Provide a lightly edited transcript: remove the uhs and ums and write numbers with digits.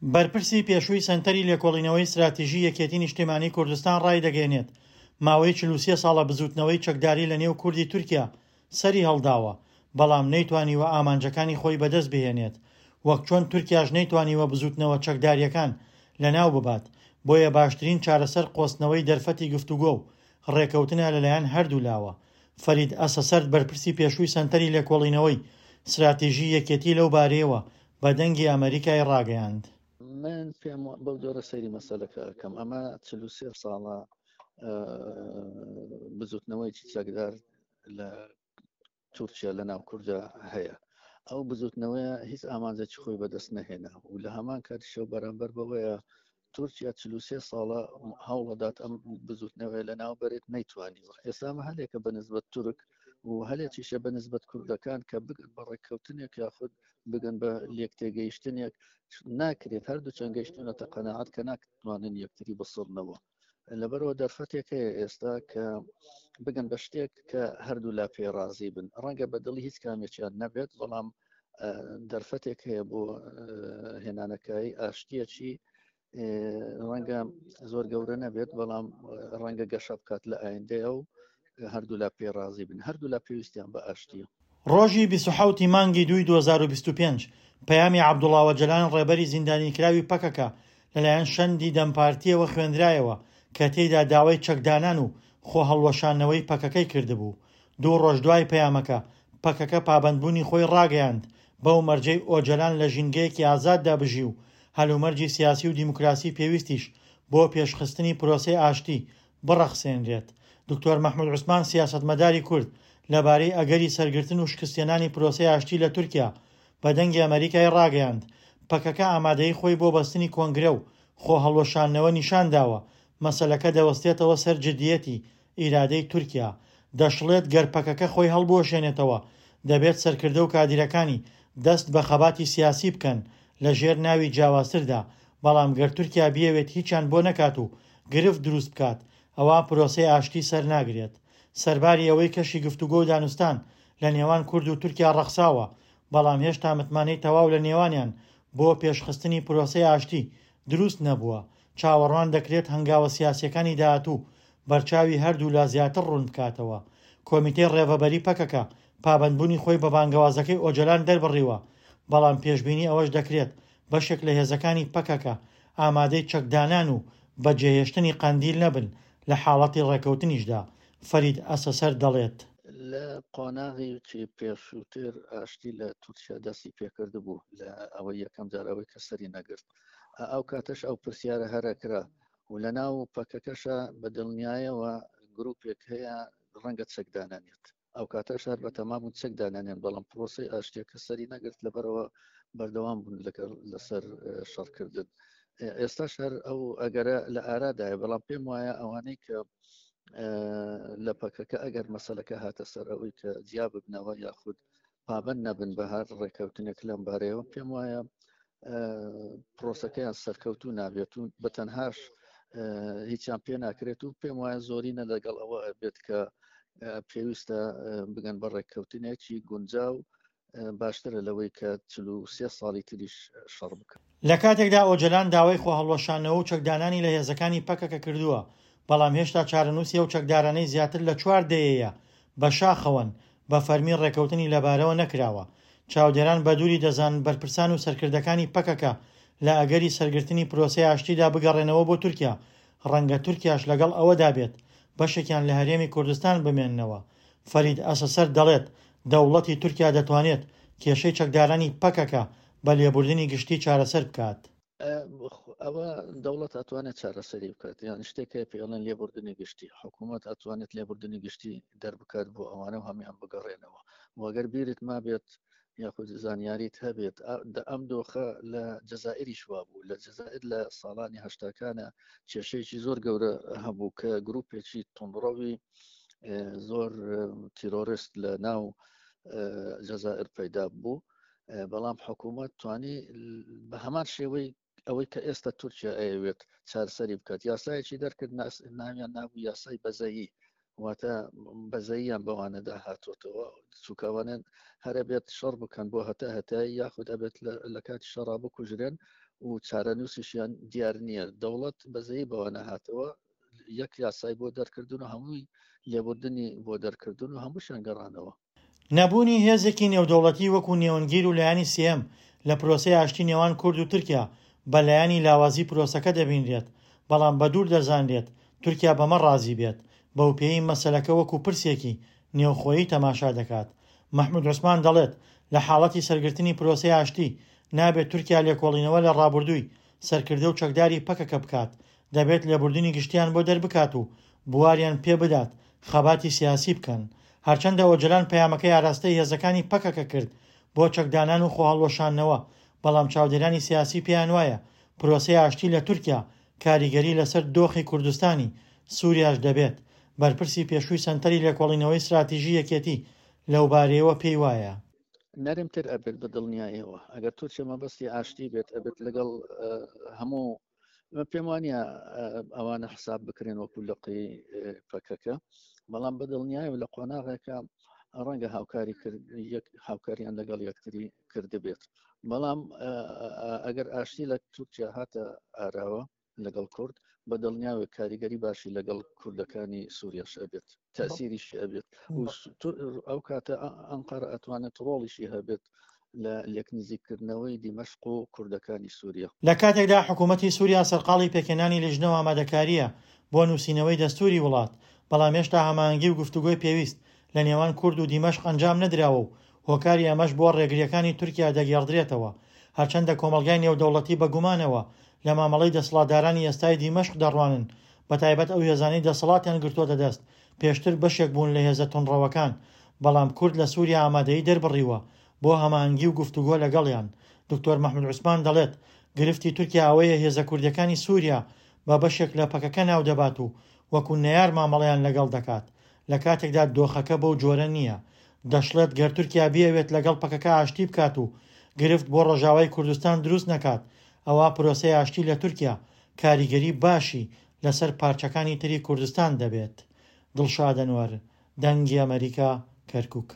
بەرپرسی پێشووی سەنتەری لێکۆڵینەوەی ستراتیژی یەکێتی نیشتیمانی کوردستان ڕایدەگەیەنێت، ماوەی 43 ساڵە بزووتنەوەی چەکداری لە نێو کوردی تورکیا سەری هەڵداوە، بەڵام نەیتوانیوە ئامانجەکانی خۆی بەدەست بهێنێت، وەک چۆن تورکیاش نەیتوانیوە بزووتنەوە چەکدارییەکان لەناو ببات، بۆیە باشترین چارەسەر قۆستنەوەی دەرفەتی گفتوگۆ و ڕێکەوتنە لەلایەن هەردوولاوە. فەرید ئەسەسەرد بەرپرسی پێشووی سەنتەری لێکۆڵینەوەی ستراتیژی یەکێتی لەو بارەیەوە بە دەنگی ئەمەریکای ڕاگەیاند. من پێم بەو جۆرە سەیری مەسەلەکە ئەکەم ئەمە 43 ساڵە بزوتنەوەیکی چەکدار لە تورکیا لە ناو کووردا هەیە ئەو بزوتنەوەیە هیچ ئامانجێکی خۆی بەدەست نەهێنا و لە هەمان کاتیشەوە بەرامبەر بەوەیە تورکیا 43 ساڵە هەوڵەدات ئەم بزوتنەوەی لە ناو بەرێت نەیتوانیوە ئێستا ئەمە هەلێکە بە نسبەت تورک و هەلێکیشە بە نسبەت کوردەکان کە بگەن بە ڕێککەوتنێک یاخود بگەن بە لێکتێگەیشتنێک ناکرێت هەردوو چەند گەیشتونەتە قەناعەت کە ناتوانن یەکتری بسڕنەوە لەبەرەوە دەرفەتێک هەیە ئێستا کە بگەن بە شتێک کە هەردوو لا پێ ڕازی بن ڕەنگە بە دڵی هیچ کامێکیان نەبێت بەڵام دەرفەتێک هەیە بۆ هێنانەکایی ئاشتیەکی ڕەنگە زۆر گەورە نەبێت بەڵام ڕەنگە گەشە بکات لە ئایندەیە و هەردوولا پێ ڕازی بن هەردوولا پێویستیان بە ئاشتیە. ڕۆژی 27 ی مانگی دووی 2025 پەیامی عەبدوڵا ئۆجەلان ڕێبەری زیندانیکراوی پەکەکە لەلایەن شەندی دەم پارتییەوە خوێندرایەوە کە تێیدا داوای چەکدانان و خۆهەڵوەشاندنەوەی پەکەکەی کردبوو. دوو ڕۆژ دوای پەیامەکە، پەکەکە پابەندبوونی خۆی ڕاگەیاند بەو مەرجەی ئۆجەلان لە ژینگەیەکی ئازاددا بژی و هەلومەرجی سیاسی و دیموکراسی پێویستیش بۆ پێشخستنی پرۆسەی ئاشتی بڕەخسێنرێت. دکتۆر مەحمود عوسمان سیاسەتمەداری کورد لەبارەی ئەگەری سەرگرتن و شکستهێنانی پرۆسەی ئاشتی لە تورکیا بە دەنگی ئەمەریکای ڕاگەیاند، پەکەکە ئامادەیی خۆی بۆ بەستنی کۆنگرە و خۆهەڵوەشاندنەوە نیشانداوە، مەسەلەکە دەوەستێتەوە سەر جدییەتی ئیرادەی تورکیا. دەشڵێت گەر پەکەکە خۆی هەڵبوەشێنێتەوە، دەبێت سەرکردە و کادیرەکانی دەست بە خەباتی سیاسی بکەن لە ژێر ناوی جیاوازتردا، بەڵام گەر تورکیا بیەوێت هیچیان بۆ نەکات و گرفت دروست بکات، ئەوا پرۆسەی ئاشتی سەرناگرێت. سەرباری ئەوەی کەشی گفتوگۆ و دانوستان لە نێوان کورد و تورکیا ڕەخساوە، بەڵام هێشتا متمانەی تەواو لە نێوانیان بۆ پێشخستنی پرۆسەی ئاشتی دروست نەبووە، چاوەڕوان دەکرێت هەنگاوە سیاسییەکانی داهاتوو بەرچاوی هەردوولا زیاتر ڕوون بکاتەوە. کۆمیتەی ڕێڤەبەری پەکەکە پابەندبوونی خۆی بە بانگەوازەکەی ئۆجەلان دەربڕیوە، بەڵام پێشبینی ئەوەش دەکرێت بەشێک لە هێزەکانی پەکەکە ئامادەی چەکدانان و بەجێهێشتنی قەندیل نەبن لە حاڵەتی ڕێکەوتنیشدا، فەرید ئەسەسەرد دەڵێت. لە قۆناغێکی پێشووتر ئاشتی لە تورکیا دەستی پێکردبوو لە ئەوەی یەکەم جار ئەوەی کە سەری نەگرت ئەو کاتەش ئەو پرسیارە هەرەکرا و لە ناو پەکەکەشە بە دڵنیایەوە گروپێک هەیە ڕەنگە چەکدانانێت ئەو کاتەش هەر بە تەما بوون چەک دانانێن بەڵام پرۆسی ئاشتیەکە سەری نەگرت لەبەرەوە بەردەوام بوون لەگەڵ لەسەر شەڕکردن ئێستاش هەر ئەو ئەگەرە لە ئارادایە بەڵام پێم وایە ئەوانەی کە لە پەکەکە ئەگەر مەسلەکە هاتە سەر ئەوەی کە جیا ببنەوە یاخود پابند نەبن بە هەر ڕێککەوتنێک لەم بارەیەوە پێم وایە پرۆسەکەیان سەرکەوتو نابێت و بە تەنهاش هیچیان پێ ناکرێت و پێم وایە زۆرینە لەگەڵ ئەوە بێت کە پێویستە بگەن بە ڕێککەوتنێکی گونجاو باشترە لەوەی کە 43 ساڵی تریش شەڕ بکەن. لە کاتێکدا ئۆجەلان داوای خۆهەڵوەشاندنەوە و چەکدانانی لە هێزەکانی پەکەکە کردووە، بەڵام هێشتا چارەنووسی ئەو چەکدارانەی زیاتر لە چوار دەیەیە بە شاخەوەن، بە فەرمی ڕێکەوتنی لەبارەوە نەکراوە. چاودێران بە دووری دەزانن بەرپرسان و سەرکردەکانی پەکەکە لە ئەگەری سەرگرتنی پرۆسەی ئاشتیدا بگەڕێنەوە بۆ تورکیا، ڕەنگە تورکیاش لەگەڵ ئەوەدا بێت بەشێکیان لە هەرێمی کوردستان بمێننەوە. فەرید ئەسەسەر دەڵێت، دەوڵەتی تورکیا دەتوانێت کێشەی چەکدارانی پەکەکە بە لێبوردنی گشتی چارەسەر بکات. ئەوە دەوڵەت ئەتوانێت چارەسەری بکات یان شتێک هەیە پێڵێن لێبوردنی گشتی حکوومەت ئەتوانێت لێبوردنی گشتی دەربکات بۆ ئەوانە و هەمان بگەڕێنەوە وەگەر بیرت مابێت یاخود زانیاریت هەبێت ئەم دۆخە لە جەزائریش وابوو لە جەزائر لە ساڵانی هەشتاکانە کێشەیەکی زۆر گەورە هەبوو کە گروپێکی توندڕەوی زۆر تیرۆرست لە ناو جەزائر پەیدا بوو بەڵام حکوومەت توانی بە هەمان شێوەی ئەوەی کە ئێستا تورکیا ئەیەوێت چارسەری بکات یاسایەکی دەرکرد ناویان نابوو یاسای بەزەیی واتە بەزەییان بەوانەدا هاتۆتەوە چووکەوانێن هەرە بێت شەڕ بکەن بۆ هەتا هەتایی یاخود ئەبێت لە کاتی شەڕا بکوژرێن. و چارەنووسیشیان دیار نییە. دەوڵەت بەزەیی بەوە نەهاتەوە، یەک یاسای بۆ دەرکردن و هەمووی لێبوردنی بۆ دەرکردن و هەمووشیان گەڕانەوە. نەبوونی هێزێکی نێودەوڵەتی وەکو نێوەندگیر و لایەنی سێیەم لە پرۆسەی ئاشتی نێوان کورد و تورکیا بە لایەنی لاوازی پرۆسەکە دەبینرێت، بەڵام بە دوور دەزانرێت تورکیا بەمە ڕازی بێت، بەوپێیەی مەسەلەکە وەکو پرسێکی نێوخۆیی تەماشا دەکات. مەحمود عوسمان دەڵێت، لە حاڵەتی سەرگرتنی پرۆسەی ئاشتی، نابێت تورکیا لێکۆڵینەوە لە ڕابوردووی سەرکردە و چەکداری پەکەکە بکات، دەبێت لێبوردنی گشتیان بۆ دەربکات و بواریان پێ بدات خەباتی سیاسی بکەن. هەرچەندە ئۆجەلان پەیامەکەی ئاراستەی هێزەکانی پەکەکە کرد بۆ چەکدانان و خۆهەڵوەشاندنەوە، بەڵام چاودێرانی سیاسی پێیانوایە پرۆسەی ئاشتی لە تورکیا کاریگەری لەسەر دۆخی کوردستانی سوریاش دەبێت، بەرپرسی پێشووی سەنتەری لێکۆڵینەوەی ستراتیژی یەکێتی لەوبارەیەوە پێیوایە. نەرمتر ئەبێت بە دڵنیایەوە ئەگەر تورکیا مەبەستی ئاشتی بێت ئەبێت لەگەڵ هەموو من پێم وانە ئەوانە حساب بکرێن وەکو لقی پەکەکە بەڵام بە دڵنیایە لە قۆناغێکە ڕەنگە هاوکاری کرد هاوکاریان لەگەڵ یەکتری کردبێت بەڵام ئەگەر ئاشتی لە تورکیا هاتە ئاراوە لەگەڵ کورد بە دڵنیاوە کاریگەری باشی لەگەڵ کوردەکانی سووریاش ئەبێت تەسیریشی ئەبێت ئەو کاتە ئەنقەرە ئەتوانێت ڕۆڵیشی هەبێت لە لێکنزیککردنەوەی دیمەشق و کوردەکانی سووریا. لە کاتێکدا حکوومەتی سووریا سەرقاڵی پێکهێنانی لیژنە و ئامادەکارییە بۆ نووسینەوەی دەستووری وڵات، بەڵام هێشتا هەماهەنگی و گفتوگۆی پێویست لە نێوان کورد و دیمەشق ئەنجام نەدراوە و هۆکاری ئەمەش بۆ ڕێگرییەکانی تورکیا دەگێڕدرێتەوە. هەرچەندە کۆمەڵگای نێودەوڵەتی بە گومانەوە لە مامەڵەی دەسەڵاتدارانی ئێستای دیمەشق دەڕوانن، بەتایبەت ئەو هێزانەی دەسەڵاتیان گرتووەتە دەست پێشتر بەشێک بوون لە هێزە توندڕەوەکان، بەڵام کورد لە سووریا ئامادەیی دەربڕیوە بۆ هەماهەنگی و گفتوگۆ لەگەڵیان. دکتۆر مەحمود عوسمان دەڵێت، گرفتی تورکیا ئەوەیە هێزە کوردییەکانی سووریا بە بەشێک لە پەکەکە ناودەبات و وەکو نەیار مامەڵەیان لەگەڵ دەکات، لە کاتێکدا دۆخەکە بەو جۆرە نییە. دەشڵێت، گەر تورکیا بیەوێت لەگەڵ پەکەکە ئاشتی بکات و گرفت بۆ ڕۆژاوای کوردستان دروست نەکات، ئەوا پرۆسەی ئاشتی لە تورکیا کاریگەری باشی لەسەر پارچەکانی تری کوردستان دەبێت. دڵشاد ئەنوەر، دەنگی ئەمەریکا، کەرکوک.